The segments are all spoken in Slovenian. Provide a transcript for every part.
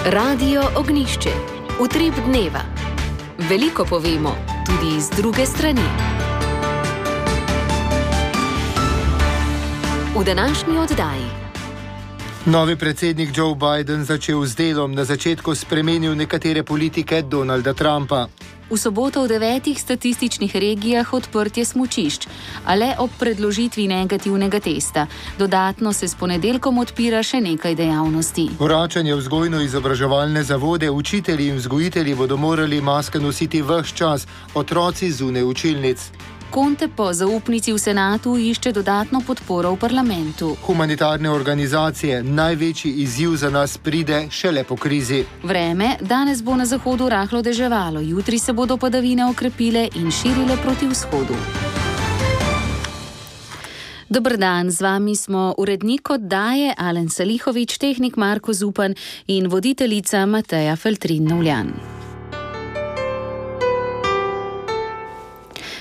Radio Ognjišče. Utrip dneva. Veliko povemo, tudi iz druge strani. V današnji oddaji. Novi predsednik Joe Biden začel z delom, na začetku spremenil nekatere politike Donalda Trumpa. V soboto v 9 statističnih regijah odprtje smučišč, a le ob predložitvi negativnega testa. Dodatno se s ponedeljkom odpira še nekaj dejavnosti. Vračanje v vzgojno-izobraževalne zavode, učitelji in vzgojitelji bodo morali maske nositi ves čas, otroci zunaj učilnic. Conte po zaupnici v senatu išče dodatno podporo v parlamentu. Humanitarne organizacije, največji izziv za nas pride šele po krizi. Vreme, danes bo na zahodu rahlo deževalo, jutri se bodo padavine okrepile in širile proti vzhodu. Dober dan, z vami smo urednik oddaje Alen Salihovič, tehnik Marko Zupan in voditeljica Mateja Feltrin-Novljan.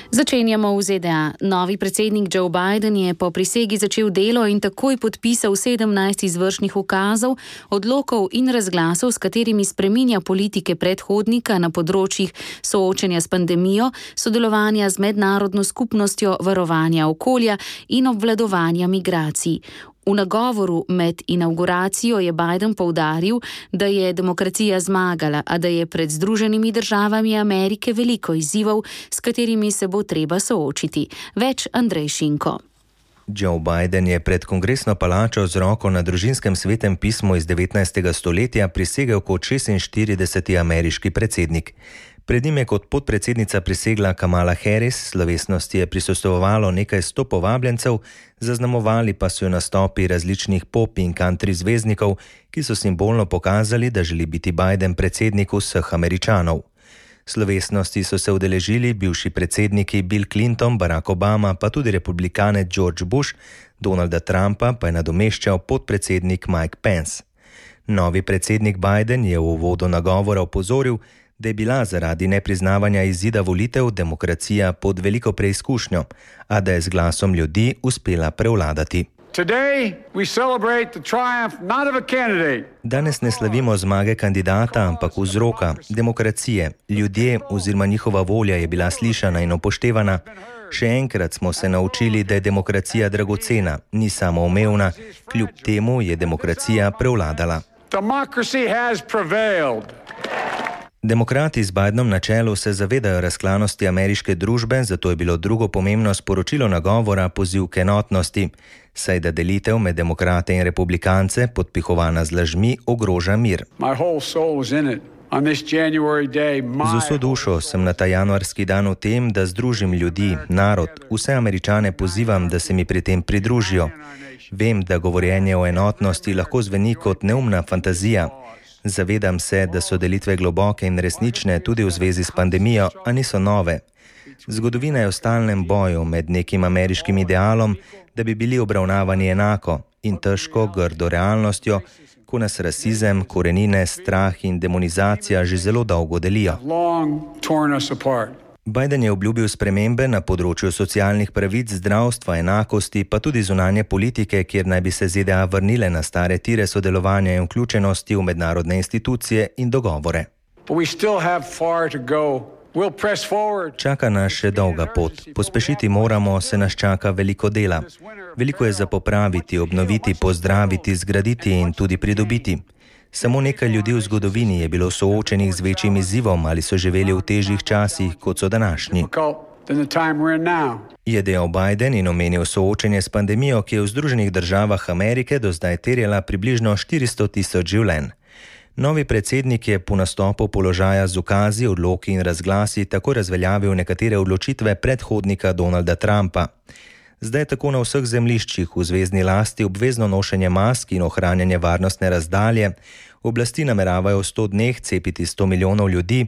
Začenjamo v ZDA. Novi predsednik Joe Biden je po prisegi začel delo in takoj podpisal 17 izvršnih ukazov, odlokov in razglasov, s katerimi spreminja politike predhodnika na področjih soočenja s pandemijo, sodelovanja z mednarodno skupnostjo, varovanja okolja in obvladovanja migracij. V nagovoru med inavguracijo je Biden poudaril, da je demokracija zmagala, a da je pred Združenimi državami Amerike veliko izzivov, s katerimi se bo treba soočiti. Več Andrej Šinko. Joe Biden je pred kongresno palačo z roko na družinskem svetem pismu iz 19. stoletja prisegel kot 46. ameriški predsednik. Pred njim je kot podpredsednica prisegla Kamala Harris, slovesnosti je prisostvovalo nekaj 100 povabljencev, zaznamovali pa so jo nastopi različnih pop in country zvezdnikov, ki so simbolno pokazali, da želi biti Biden predsednik vseh Američanov. Slovesnosti so se udeležili bivši predsedniki Bill Clinton, Barack Obama, pa tudi republikane George Bush, Donalda Trumpa pa je nadomeščal podpredsednik Mike Pence. Novi predsednik Biden je v uvodu nagovora opozoril, da je bila zaradi nepriznavanja izida volitev demokracija pod veliko preizkušnjo, a da je z glasom ljudi uspela prevladati. Danes ne slavimo zmage kandidata, ampak vzroka, demokracije. Ljudje oziroma njihova volja je bila slišana in upoštevana. Še enkrat smo se naučili, da je demokracija dragocena, ni samoumevna, kljub temu je demokracija prevladala. Demokrati z Bidenom na čelu se zavedajo razklanosti ameriške družbe, zato je bilo drugo pomembno sporočilo nagovora poziv k enotnosti, saj da delitev med demokrate in republikance, podpihovana z lažmi, ogroža mir. Z vso dušo sem na ta januarski dan v tem, da združim ljudi, narod, vse Američane pozivam, da se mi pri tem pridružijo. Vem, da govorjenje o enotnosti lahko zveni kot neumna fantazija. Zavedam se, da so delitve globoke in resnične tudi v zvezi s pandemijo, a niso nove. Zgodovina je v stalnem boju med nekim ameriškim idealom, da bi bili obravnavani enako, in težko, grdo realnostjo, ko nas rasizem, korenine, strah in demonizacija že zelo dolgo delijo. Biden je obljubil spremembe na področju socialnih pravic, zdravstva, enakosti, pa tudi zunanje politike, kjer naj bi se ZDA vrnile na stare tire sodelovanja in vključenosti v mednarodne institucije in dogovore. Čaka nas še dolga pot. Pospešiti moramo, se nas čaka veliko dela. Veliko je za popraviti, obnoviti, pozdraviti, zgraditi in tudi pridobiti. Samo nekaj ljudi v zgodovini je bilo soočenih z večjim izzivom ali so živeli v težjih časih, kot so današnji. Je dejal Biden in omenil soočenje s pandemijo, ki je v Združenih državah Amerike do zdaj terjala približno 400.000 življenj. Novi predsednik je po nastopu položaja z ukazi, odloki in razglasi tako razveljavil nekatere odločitve predhodnika Donalda Trumpa. Zdaj tako na vseh zemljiščih v zvezni lasti obvezno nošenje mask in ohranjanje varnostne razdalje. Oblasti nameravajo v 100 dneh cepiti 100 milijonov ljudi.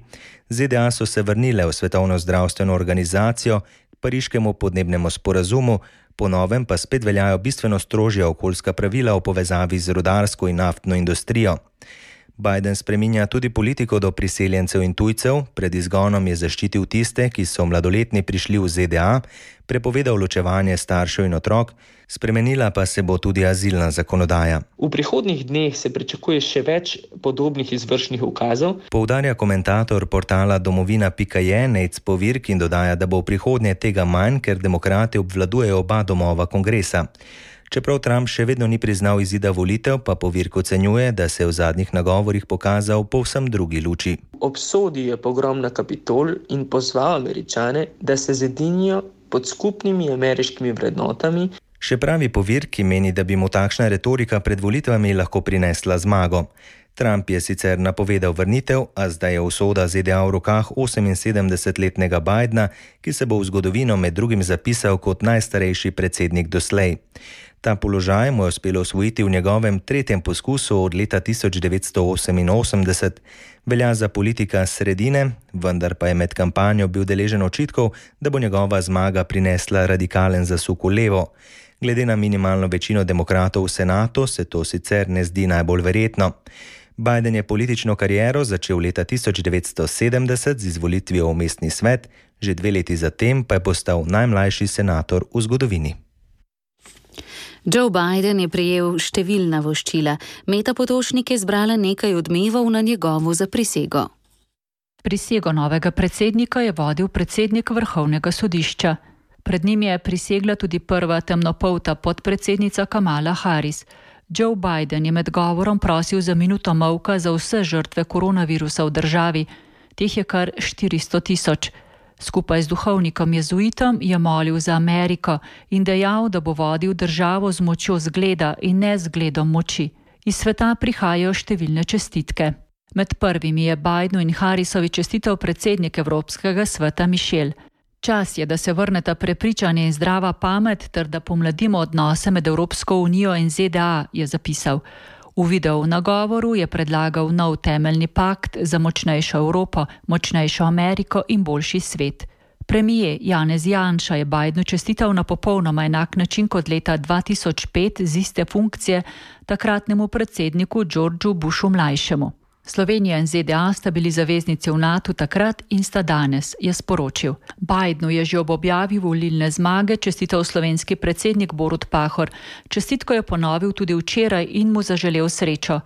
ZDA so se vrnile v Svetovno zdravstveno organizacijo, Pariškemu podnebnemu sporazumu, po novem pa spet veljajo bistveno strožja okoljska pravila v povezavi z rudarsko in naftno industrijo. Biden spreminja tudi politiko do priseljencev in tujcev, pred izgonom je zaščitil tiste, ki so mladoletni prišli v ZDA, prepovedal ločevanje staršev in otrok, spremenila pa se bo tudi azilna zakonodaja. V prihodnjih dneh se pričakuje še več podobnih izvršnih ukazov, poudarja komentator portala domovina.je Nate Povirk in dodaja, da bo v prihodnje tega manj, ker demokrati obvladujejo oba domova kongresa. Čeprav Trump še vedno ni priznal izida volitev, pa Povirk ocenjuje, da se je v zadnjih nagovorih pokazal povsem drugi luči. Obsodil je pogrom na Kapitol in pozval Američane, da se zedinijo pod skupnimi ameriškimi vrednotami. Še pravi Povirk, ki meni, da bi mu takšna retorika pred volitvami lahko prinesla zmago. Trump je sicer napovedal vrnitev, a zdaj je usoda ZDA v rokah 78-letnega Bidena, ki se bo v zgodovino med drugim zapisal kot najstarejši predsednik doslej. Ta položaj mu je uspelo osvojiti v njegovem tretjem poskusu od leta 1988. Velja za politika sredine, vendar pa je med kampanjo bil deležen očitkov, da bo njegova zmaga prinesla radikalen zasuk v levo. Glede na minimalno večino demokratov v senatu se to sicer ne zdi najbolj verjetno. Biden je politično kariero začel leta 1970 z izvolitvijo v mestni svet, že 2 leti zatem pa je postal najmlajši senator v zgodovini. Joe Biden je prejel številna voščila. Meta Potočnik je zbrala nekaj odmevov na njegovo zaprisego. Prisego novega predsednika je vodil predsednik Vrhovnega sodišča. Pred njim je prisegla tudi prva temnopolta podpredsednica Kamala Harris. Joe Biden je med govorom prosil za minuto molka za vse žrtve koronavirusa v državi. Teh je kar 400 000. Skupaj z duhovnikom jezuitom je molil za Ameriko in dejal, da bo vodil državo z močjo zgleda in ne zgledom moči. Iz sveta prihajajo številne čestitke. Med prvimi je Bidenu in Harrisovi čestital predsednik Evropskega sveta Michel. Čas je, da se vrneta prepričanje in zdrava pamet ter da pomladimo odnose med Evropsko unijo in ZDA, je zapisal. V videu nagovoru je predlagal nov temeljni pakt za močnejšo Evropo, močnejšo Ameriko in boljši svet. Premijer Janez Janša je Bidenu čestital na popolnoma enak način kot leta 2005 z iste funkcije takratnemu predsedniku Georgeu Bushu mlajšemu. Slovenija in ZDA sta bili zaveznici v NATO takrat in sta danes, je sporočil. Bidenu je že ob objavi volilne zmage čestital slovenski predsednik Borut Pahor. Čestitko je ponovil tudi včeraj in mu zaželel srečo.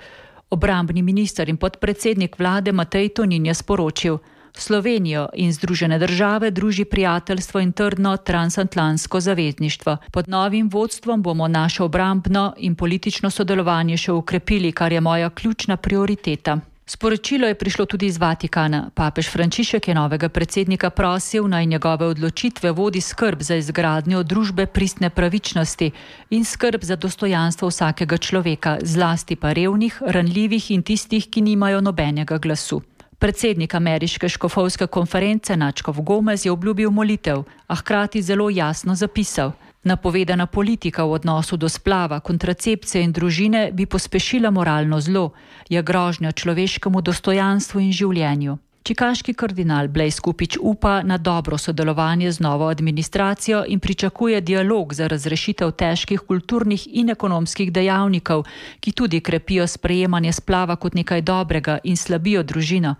Obrambni minister in podpredsednik vlade Matej Tonin je sporočil: Slovenijo in Združene države druži prijateljstvo in trdno transatlantsko zavezništvo. Pod novim vodstvom bomo naše obrambno in politično sodelovanje še ukrepili, kar je moja ključna prioriteta. Sporočilo je prišlo tudi iz Vatikana. Papež Frančišek je novega predsednika prosil, naj njegove odločitve vodi skrb za izgradnjo družbe pristne pravičnosti in skrb za dostojanstvo vsakega človeka, zlasti pa revnih, ranljivih in tistih, ki nimajo nobenega glasu. Predsednik ameriške škofovske konference nadškof Gomez je obljubil molitev, a hkrati zelo jasno zapisal: napovedana politika v odnosu do splava, kontracepcije in družine bi pospešila moralno zlo, je grožnja človeškemu dostojanstvu in življenju. Čikaški kardinal Blaise Kupič upa na dobro sodelovanje z novo administracijo in pričakuje dialog za razrešitev težkih kulturnih in ekonomskih dejavnikov, ki tudi krepijo sprejemanje splava kot nekaj dobrega in slabijo družino.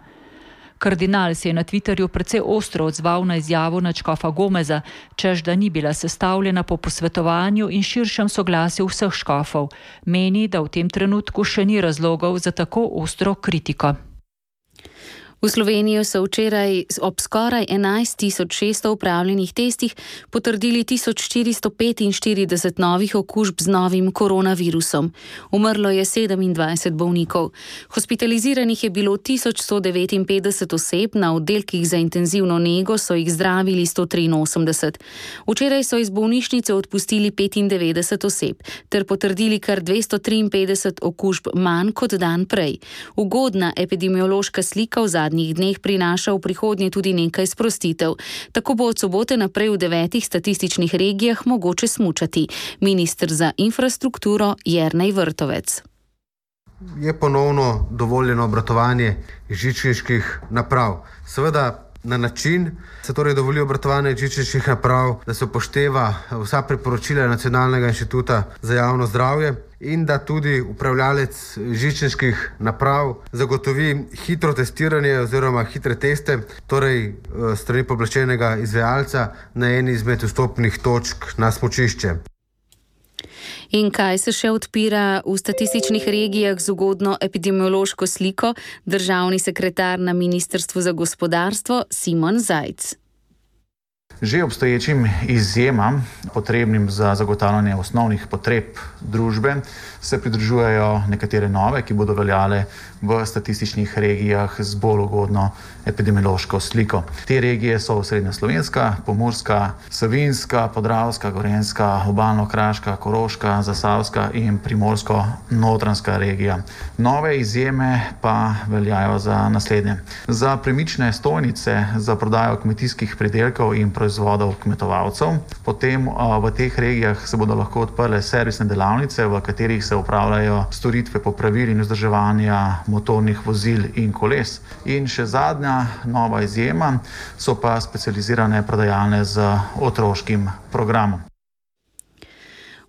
Kardinal se je na Twitterju precej ostro odzval na izjavo nadškofa Gomeza, češ da ni bila sestavljena po posvetovanju in širšem soglasju vseh škofov. Meni, da v tem trenutku še ni razlogov za tako ostro kritiko. V Slovenijo so včeraj ob skoraj 11.600 upravljenih testih potrdili 1445 novih okužb z novim koronavirusom. Umrlo je 27 bolnikov. Hospitaliziranih je bilo 1159 oseb, na oddelkih za intenzivno nego so jih zdravili 183. Včeraj so iz bolnišnice odpustili 95 oseb ter potrdili kar 253 okužb manj kot dan prej. Ugodna epidemiološka slika v zadnjih dneh prinaša v prihodnje tudi nekaj sprostitev. Tako bo od sobote naprej v 9 statističnih regijah mogoče smučati. Minister za infrastrukturo Jernej Vrtovec. Je ponovno dovoljeno obratovanje žičniških naprav. Seveda na način se torej dovoli obratovanje žičniških naprav, da se upošteva vsa priporočila Nacionalnega inštituta za javno zdravje in da tudi upravljalec žičniških naprav zagotovi hitro testiranje oziroma hitre teste, torej strani pooblaščenega izvajalca na eni izmed vstopnih točk na smučišče. In kaj se še odpira v statističnih regijah z ugodno epidemiološko sliko? Državni sekretar na Ministrstvu za gospodarstvo Simon Zajc. Že obstoječim izjemam, potrebnim za zagotavljanje osnovnih potreb družbe, se pridružujejo nekatere nove, ki bodo veljale v statističnih regijah z bolj ugodno epidemiološko sliko. Te regije so Osrednja Slovenska, Pomurska, Savinjska, Podravska, Gorenjska, Obalno-kraška, Koroška, Zasavska in Primorsko-notranjska regija. Nove izjeme pa veljajo za naslednje. Za premične stojnice za prodajo kmetijskih pridelkov in proizvodov kmetovalcev. Potem v teh regijah se bodo lahko odprle servisne delavnice, v katerih se opravljajo storitve popravil in vzdrževanja motornih vozil in koles. In še zadnja nova izjema so pa specializirane prodajalne z otroškim programom.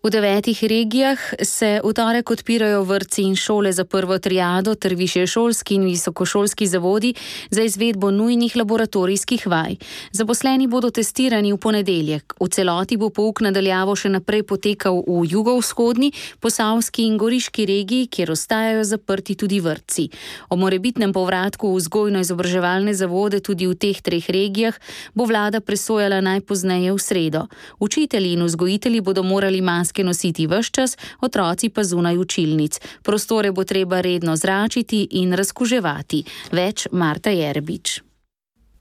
V 9 regijah se v torek odpirajo vrtci in šole za prvo triado ter višješolski in visokošolski zavodi za izvedbo nujnih laboratorijskih vaj. Zaposleni bodo testirani v ponedeljek. V celoti bo pouk na daljavo še naprej potekal v jugovzhodni, posavski in goriški regiji, kjer ostajajo zaprti tudi vrtci. O morebitnem povratku v vzgojno-izobraževalne zavode tudi v teh 3 regijah bo vlada presojala najpozneje v sredo. Učitelji in vzgojitelji bodo morali maske nositi ves čas, otroci pa zunaj učilnic. Prostore bo treba redno zračiti in razkuževati. Več Marta Jerbič.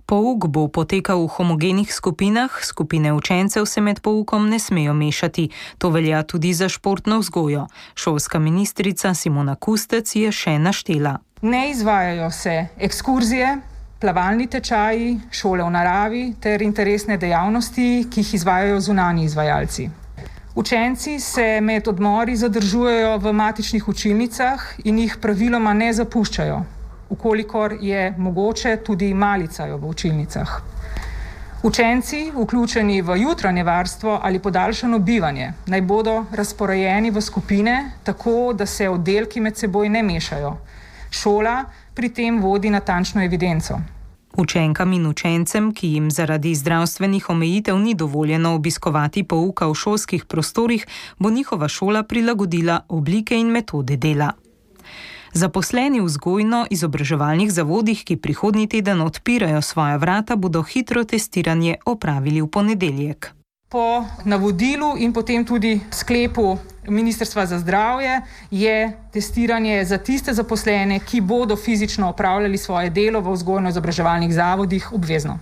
Pouk bo potekal v homogenih skupinah, skupine učencev se med poukom ne smejo mešati. To velja tudi za športno vzgojo. Šolska ministrica Simona Kustec je še naštela. Ne izvajajo se ekskurzije, plavalni tečaji, šole v naravi ter interesne dejavnosti, ki jih izvajajo zunanji izvajalci. Učenci se med odmori zadržujejo v matičnih učilnicah in jih praviloma ne zapuščajo, ukolikor je mogoče tudi malicajo v učilnicah. Učenci, vključeni v jutranje varstvo ali podaljšano bivanje, naj bodo razporejeni v skupine, tako da se oddelki med seboj ne mešajo. Šola pri tem vodi natančno evidenco. Učenkam in učencem, ki jim zaradi zdravstvenih omejitev ni dovoljeno obiskovati pouka v šolskih prostorih, bo njihova šola prilagodila oblike in metode dela. Zaposleni v vzgojno-izobraževalnih zavodih, ki prihodnji teden odpirajo svoja vrata, bodo hitro testiranje opravili v ponedeljek. Po navodilu in potem tudi sklepu Ministrstva za zdravje je testiranje za tiste zaposlene, ki bodo fizično opravljali svoje delo v vzgojno-izobraževalnih zavodih, obvezno.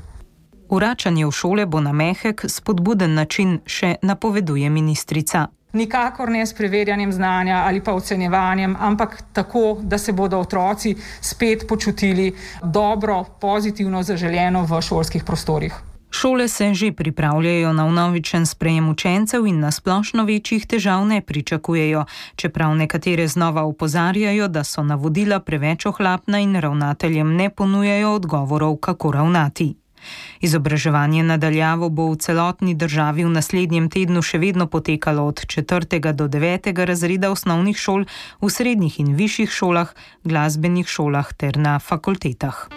Vračanje v šole bo na mehek, spodbuden način, še napoveduje ministrica. Nikakor ne s preverjanjem znanja ali pa ocenjevanjem, ampak tako, da se bodo otroci spet počutili dobro, pozitivno, zaželeno v šolskih prostorih. Šole se že pripravljajo na vnovičen sprejem učencev in na splošno večjih težav ne pričakujejo, čeprav nekatere znova opozarjajo, da so navodila preveč ohlapna in ravnateljem ne ponujajo odgovorov, kako ravnati. Izobraževanje na daljavo bo v celotni državi v naslednjem tednu še vedno potekalo od 4. do 9. razreda osnovnih šol, v srednjih in višjih šolah, glasbenih šolah ter na fakultetah.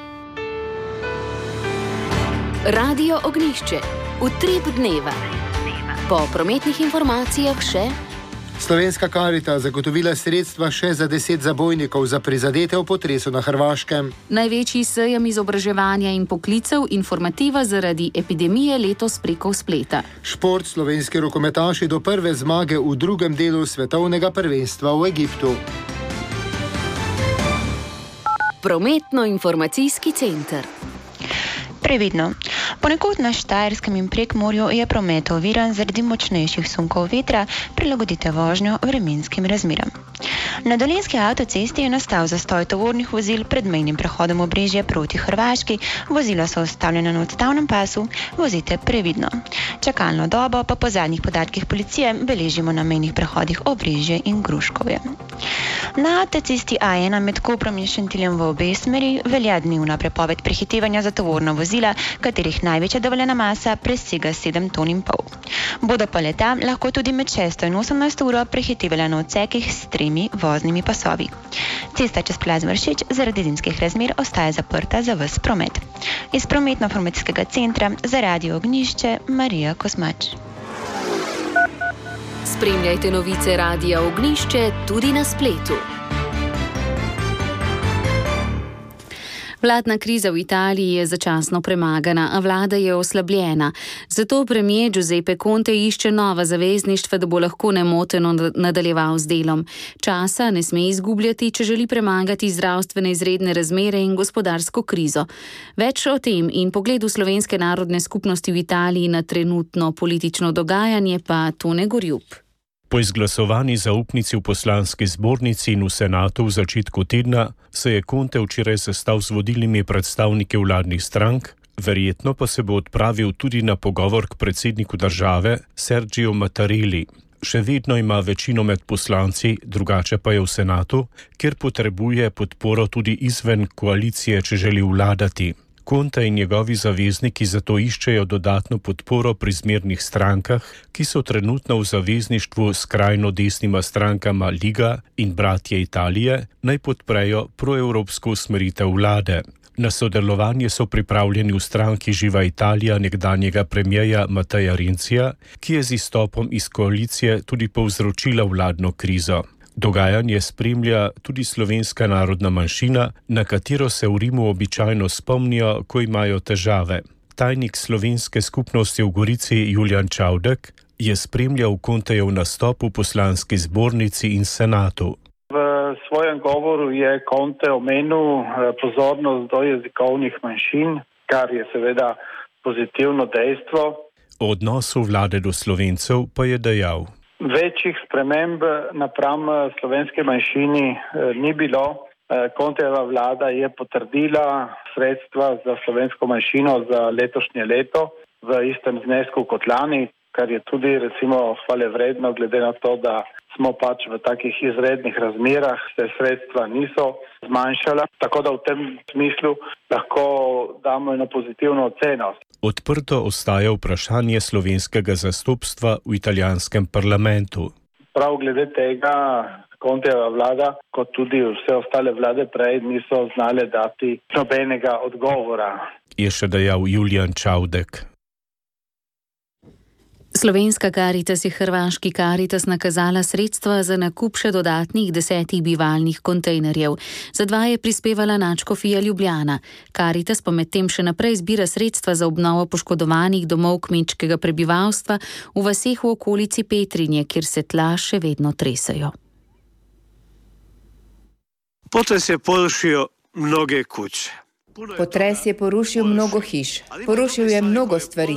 Radio Ognjišče. Utrip dneva. Po prometnih informacijah še... Slovenska Karita zagotovila sredstva še za 10 zabojnikov za prizadete v potresu na Hrvaškem. Največji sejem izobraževanja in poklicev informativa zaradi epidemije letos preko spleta. Šport, slovenski rokometaši do prve zmage v drugem delu svetovnega prvenstva v Egiptu. Prometno-informacijski center. Previdno. Ponekod na Štajerskem in Prekmurju je promet oviran zaradi močnejših sunkov vetra, prilagodite vožnjo vremenskim razmeram. Na Dolenjski avtocesti je nastal zastoj tovornih vozil pred mejnim prehodom Obrežje proti Hrvaški, vozila so ustavljena na odstavnem pasu, vozite previdno. Čakalno dobo pa po zadnjih podatkih policije beležimo na mejnih prehodih Obrežje in Gruškovje. Na avtocesti A1 med Koprom in Šentiljem v obe smeri velja dnevna prepoved prehitevanja za tovorna vozila, katerih največja dovoljena masa presega 7,5 ton. Bodo pa leta lahko tudi med 6 in 18 uro prehitevala na odsekih s 3 voznimi pasovi. Cesta čez Plaz Vršič zaradi zimskih razmer ostaja zaprta za ves promet. Iz prometno-informacijskega centra za Radio Ognjišče Marija Kosmač. Spremljajte novice Radia Ognjišče tudi na spletu. Vladna kriza v Italiji je začasno premagana, a vlada je oslabljena. Zato premier Giuseppe Conte išče nova zavezništva, da bo lahko nemoteno nadaljeval z delom. Časa ne sme izgubljati, če želi premagati zdravstvene izredne razmere in gospodarsko krizo. Več o tem in pogledu Slovenske narodne skupnosti v Italiji na trenutno politično dogajanje pa Tone Gorjup. Po izglasovani zaupnici v poslanski zbornici in v senatu v začetku tedna se je Conte včeraj sestal z vodilnimi predstavniki vladnih strank, verjetno pa se bo odpravil tudi na pogovor k predsedniku države Sergio Mattarelli. Še vedno ima večino med poslanci, drugače pa je v senatu, kjer potrebuje podporo tudi izven koalicije, če želi vladati. Conte in njegovi zavezniki zato iščejo dodatno podporo pri zmernih strankah, ki so trenutno v zavezništvu s skrajno desnima strankama Liga in Bratje Italije, naj podprejo proevropsko usmeritev vlade. Na sodelovanje so pripravljeni v stranki Živa Italija nekdanjega premierja Matteja Renzija, ki je z izstopom iz koalicije tudi povzročila vladno krizo. Dogajanje spremlja tudi slovenska narodna manjšina, na katero se v Rimu običajno spomnijo, ko imajo težave. Tajnik slovenske skupnosti v Gorici Julijan Čavdek je spremljal Contejev nastop v poslanski zbornici in senatu. V svojem govoru je Conte omenil pozornost do jezikovnih manjšin, kar je seveda pozitivno dejstvo. O odnosu vlade do Slovencev pa je dejal: Večjih sprememb napram slovenske manjšini ni bilo. Contejeva vlada je potrdila sredstva za slovensko manjšino za letošnje leto v istem znesku kot lani, kar je tudi recimo hvale vredno, glede na to, da smo pač v takih izrednih razmerah, se sredstva niso zmanjšala. Tako da v tem smislu lahko damo eno pozitivno oceno. Odprto ostaja vprašanje slovenskega zastopstva v italijanskem parlamentu. Prav glede tega Contejeva vlada, kot tudi vse ostale vlade prej, niso znale dati nobenega odgovora. Je še dejal Julijan Čavdek. Slovenska Karitas je hrvaški Karitas nakazala sredstva za nakup še dodatnih 10 bivalnih kontejnerjev. Za 2 je prispevala nadškofija Ljubljana. Karitas pa medtem še naprej zbira sredstva za obnovo poškodovanih domov kmečkega prebivalstva v vaseh v okolici Petrinje, kjer se tla še vedno tresajo. Potres je porušio mnoge kuće. Potres je porušil mnogo hiš, porušil je mnogo stvari,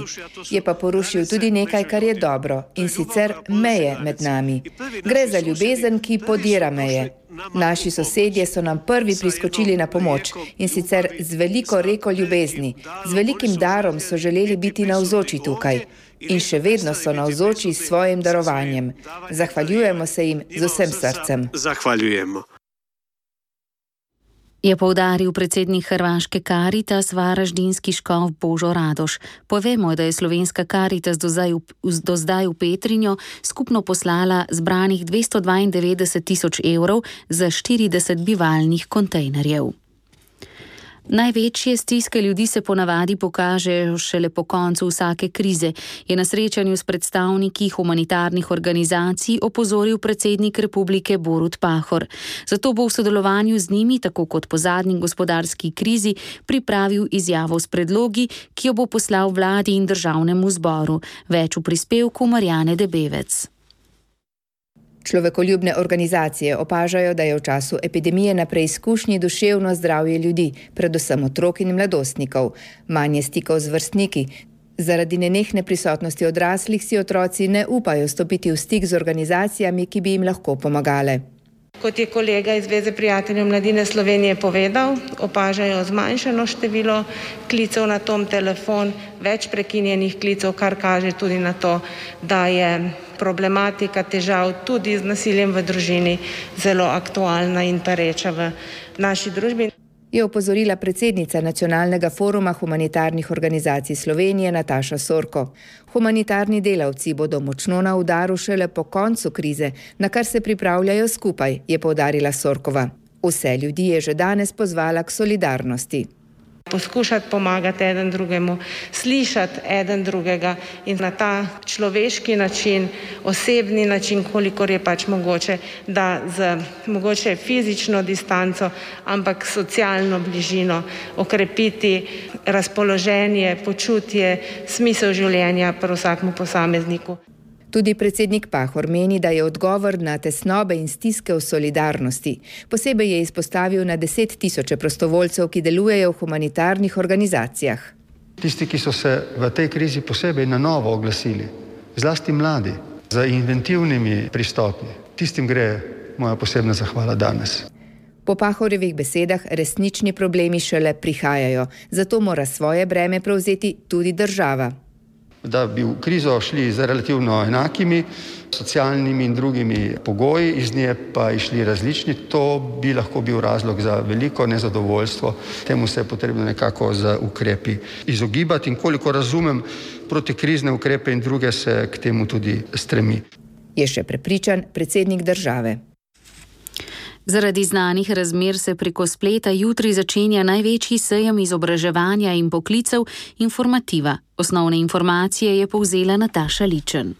je pa porušil tudi nekaj, kar je dobro, in sicer meje med nami. Gre za ljubezen, ki podira meje. Naši sosedje so nam prvi priskočili na pomoč, in sicer z veliko reko ljubezni. Z velikim darom so želeli biti navzoči tukaj. In še vedno so navzoči s svojim darovanjem. Zahvaljujemo se jim z vsem srcem. Zahvaljujemo. Je poudaril predsednik hrvaške Karitas varaždinski škof Božo Radoš. Povemo, da je slovenska Karitas do zdaj v Petrinjo skupno poslala zbranih 292 000 evrov za 40 bivalnih kontejnerjev. Največje stiske ljudi se ponavadi pokažejo šele po koncu vsake krize, je na srečanju s predstavniki humanitarnih organizacij opozoril predsednik republike Borut Pahor. Zato bo v sodelovanju z njimi, tako kot po zadnji gospodarski krizi, pripravil izjavo s predlogi, ki jo bo poslal vladi in državnemu zboru. Več v prispevku Marjane Debevec. Človekoljubne organizacije opažajo, da je v času epidemije na preizkušnji duševno zdravje ljudi, predvsem otrok in mladostnikov. Manje stikov z vrstniki. Zaradi nenehne prisotnosti odraslih si otroci ne upajo stopiti v stik z organizacijami, ki bi jim lahko pomagale. Kot je kolega iz Zveze prijateljev mladine Slovenije povedal, opažajo zmanjšano število klicev na tom telefon, več prekinjenih klicev, kar kaže tudi na to, da je problematika težav tudi z nasiljem v družini zelo aktualna in pereča v naši družbi. Je opozorila predsednica Nacionalnega foruma humanitarnih organizacij Slovenije Nataša Sorko. Humanitarni delavci bodo močno na udaru šele po koncu krize, na kar se pripravljajo skupaj, je poudarila Sorkova. Vse ljudi je že danes pozvala k solidarnosti. Poskušati pomagati eden drugemu, slišati eden drugega in na ta človeški način, osebni način, kolikor je pač mogoče, da z mogoče fizično distanco, ampak socialno bližino okrepiti razpoloženje, počutje, smisel življenja pri vsakmu posamezniku. Tudi predsednik Pahor meni, da je odgovor na tesnobe in stiske v solidarnosti. Posebej je izpostavil na 10 000 prostovoljcev, ki delujejo v humanitarnih organizacijah. Tisti, ki so se v tej krizi posebej na novo oglasili, zlasti mladi, z inventivnimi pristopi, tistim gre moja posebna zahvala danes. Po Pahorjevih besedah resnični problemi šele prihajajo, zato mora svoje breme prevzeti tudi država. Da bi v krizo šli z relativno enakimi socialnimi in drugimi pogoji, iz nje pa išli različni, to bi lahko bil razlog za veliko nezadovoljstvo. Temu se je potrebno nekako z ukrepi izogibati in koliko razumem, protikrizne ukrepe in druge se k temu tudi stremi. Je še prepričan predsednik države. Zaradi znanih razmer se preko spleta jutri začenja največji sejem izobraževanja in poklicev Informativa. Osnovne informacije je povzela Nataša Ličen.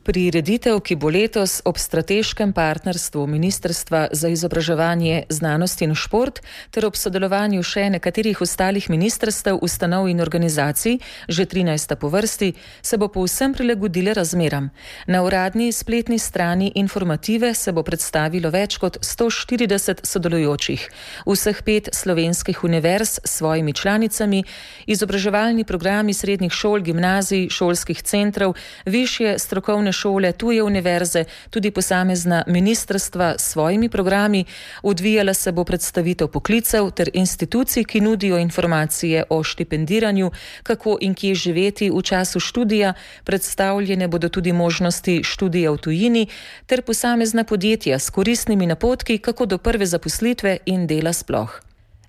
Prireditev, ki bo letos ob strateškem partnerstvu Ministrstva za izobraževanje, znanost in šport ter ob sodelovanju še nekaterih ostalih ministrstev, ustanov in organizacij, že 13. po vrsti, se bo povsem prilagodila razmeram. Na uradni spletni strani Informative se bo predstavilo več kot 140 sodelujočih. Vseh 5 slovenskih univerz s svojimi članicami, izobraževalni programi srednjih šol, gimnazij, šolskih centrov, višje strokovne šole, tuje univerze, tudi posamezna ministrstva s svojimi programi. Odvijala se bo predstavitev poklicev ter institucij, ki nudijo informacije o štipendiranju, kako in kje živeti v času študija. Predstavljene bodo tudi možnosti študija v tujini ter posamezna podjetja s koristnimi napotki, kako do prve zaposlitve in dela sploh.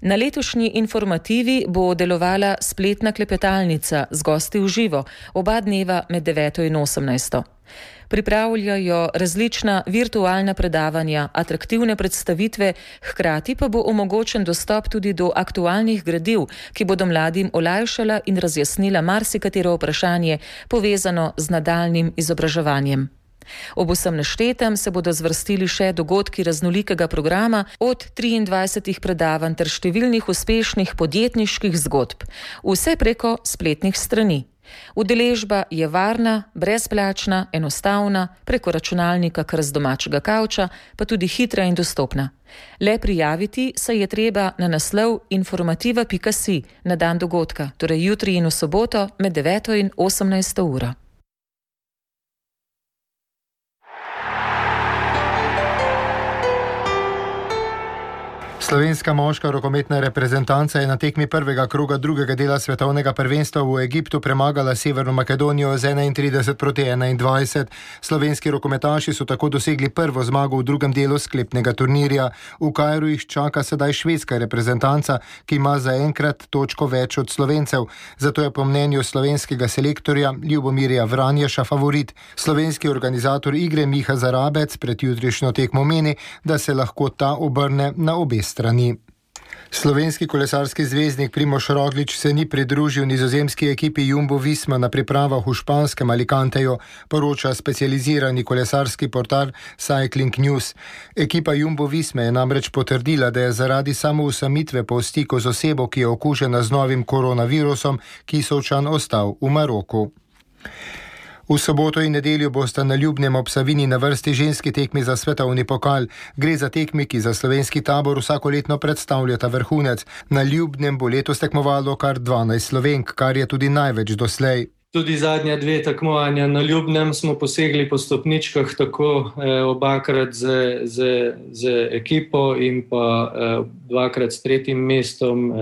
Na letošnji Informativi bo delovala spletna klepetalnica z gosti v živo, oba dneva med 9. in 18. Pripravljajo različna virtualna predavanja, atraktivne predstavitve, hkrati pa bo omogočen dostop tudi do aktualnih gradiv, ki bodo mladim olajšala in razjasnila marsikatero vprašanje povezano z nadaljnjim izobraževanjem. Ob vsem naštetem se bodo zvrstili še dogodki raznolikega programa, od 23 predavanj ter številnih uspešnih podjetniških zgodb. Vse preko spletnih strani. Udeležba je varna, brezplačna, enostavna, preko računalnika kar z domačega kavča, pa tudi hitra in dostopna. Le prijaviti se je treba na naslov informativa.si na dan dogodka, torej jutri in v soboto med 9. in 18. uro. Slovenska moška rokometna reprezentanca je na tekmi prvega kroga drugega dela svetovnega prvenstva v Egiptu premagala Severno Makedonijo z 31-21. Slovenski rokometaši so tako dosegli prvo zmago v drugem delu sklepnega turnirja. V Kairu jih čaka sedaj švedska reprezentanca, ki ima zaenkrat točko več od Slovencev. Zato je po mnenju slovenskega selektorja Ljubomirja Vranješa favorit. Slovenski organizator igre Miha Zarabec pred jutrišnjo tekmo meni, da se lahko ta obrne na obe strani. Slovenski kolesarski zvezdnik Primož Roglič se ni pridružil nizozemski ekipi Jumbo Visma na pripravah v španskem Alicanteju, poroča specializirani kolesarski portal Cycling News. Ekipa Jumbo Visme je namreč potrdila, da je zaradi samousamitve po stiku z osebo, ki je okužena z novim koronavirusom, Kisovčan ostal v Maroku. V soboto in nedeljo bosta na Ljubnem ob Savinji na vrsti ženski tekmi za svetovni pokal. Gre za tekmi, ki za slovenski tabor vsakoletno predstavljata vrhunec. Na Ljubnem bo letos tekmovalo kar 12 Slovenk, kar je tudi največ doslej. Tudi zadnja 2 tekmovanja na Ljubnem smo posegli po stopničkah, tako obakrat z ekipo in pa 2-krat s 3. mestom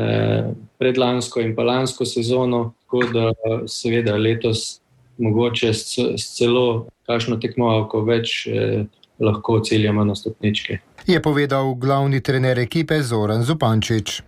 predlansko in pa lansko sezono, tako da seveda letos mogoče s celo kakšno tekmovalko več lahko ciljamo na stopničke. Je povedal glavni trener ekipe Zoran Zupančič.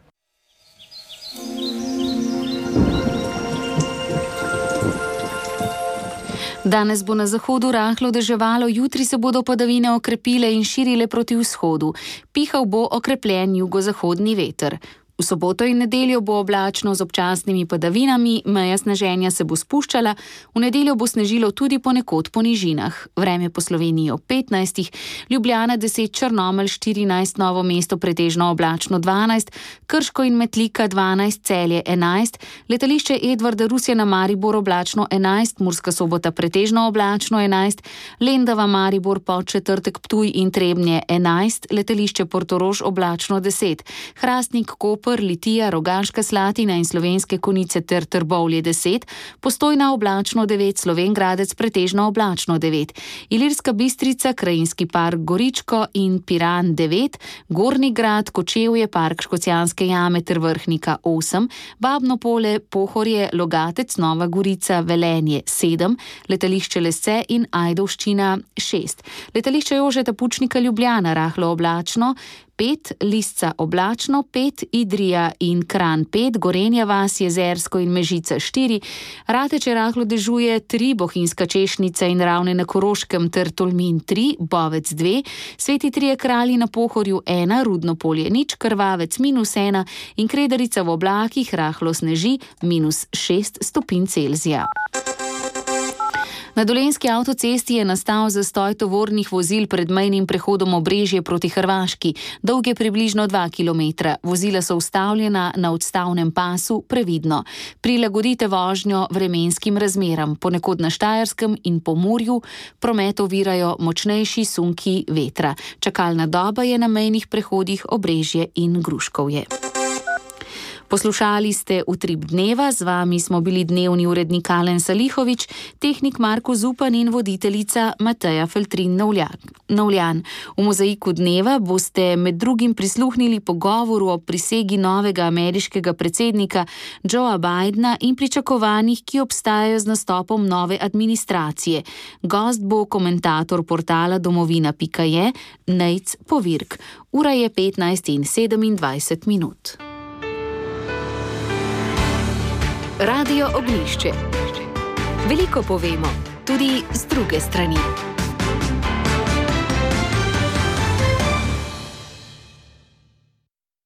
Danes bo na zahodu rahlo deževalo, jutri se bodo padavine okrepile in širile proti vzhodu. Pihal bo okrepljen jugozahodni veter. V soboto in nedeljo bo oblačno z občasnimi padavinami, meja sneženja se bo spuščala, v nedeljo bo snežilo tudi ponekod po nižinah. Vreme po Sloveniji ob 15, Ljubljana 10, Črnomelj 14, Novo mesto pretežno oblačno 12, Krško in Metlika 12, Celje 11, letališče Edvarda Rusjana Maribor oblačno 11, Murska Sobota pretežno oblačno 11, Lendava Maribor Podčetrtek Ptuj in Trebnje 11, letališče Portorož oblačno 10, Hrastnik Koper, Litija, Rogaška Slatina in Slovenske Konjice ter Trbovlje 10, Postojna oblačno 9, Slovenj Gradec pretežno oblačno 9, Ilirska Bistrica, Krajinski park Goričko in Piran 9, Gornji Grad, Kočevje, park Škocjanske jame ter Vrhnika 8, Babno Polje, Pohorje, Logatec, Nova Gorica, Velenje 7, letališče Lesce in Ajdovščina 6, letališče Jožeta Pučnika Ljubljana rahlo oblačno 5, Lisca oblačno 5, Idrija in Kranj 5, Gorenja vas, Jezersko in Mežica 4, Rateče rahlo dežuje 3, Bohinjska Češnica in Ravne na Koroškem ter Tolmin 3, Bovec 2, Sveti Trije Kralji na Pohorju 1, Rudno Polje 0, Krvavec -1 in Kredarica v oblakih rahlo sneži -6 stopinj Celzija. Na Dolenjski avtocesti je nastal zastoj tovornih vozil pred mejnim prehodom Obrežje proti Hrvaški. Dolg je približno 2 km. Vozila so ustavljena na odstavnem pasu previdno. Prilagodite vožnjo vremenskim razmeram. Ponekod na Štajerskem in Pomurju promet ovirajo močnejši sunki vetra. Čakalna doba je na mejnih prehodih Obrežje in Gruškovje. Poslušali ste Utrip dneva, z vami smo bili dnevni urednik Alen Salihovič, tehnik Marko Zupan in voditeljica Mateja Feltrin-Novljan. V mozaiku dneva boste med drugim prisluhnili pogovoru o prisegi novega ameriškega predsednika Joea Bidena in pričakovanjih, ki obstajajo z nastopom nove administracije. Gost bo komentator portala domovina.je Nejc Povirk. Ura je 15:27. Radio Ognjišče. Veliko povemo, tudi z druge strani.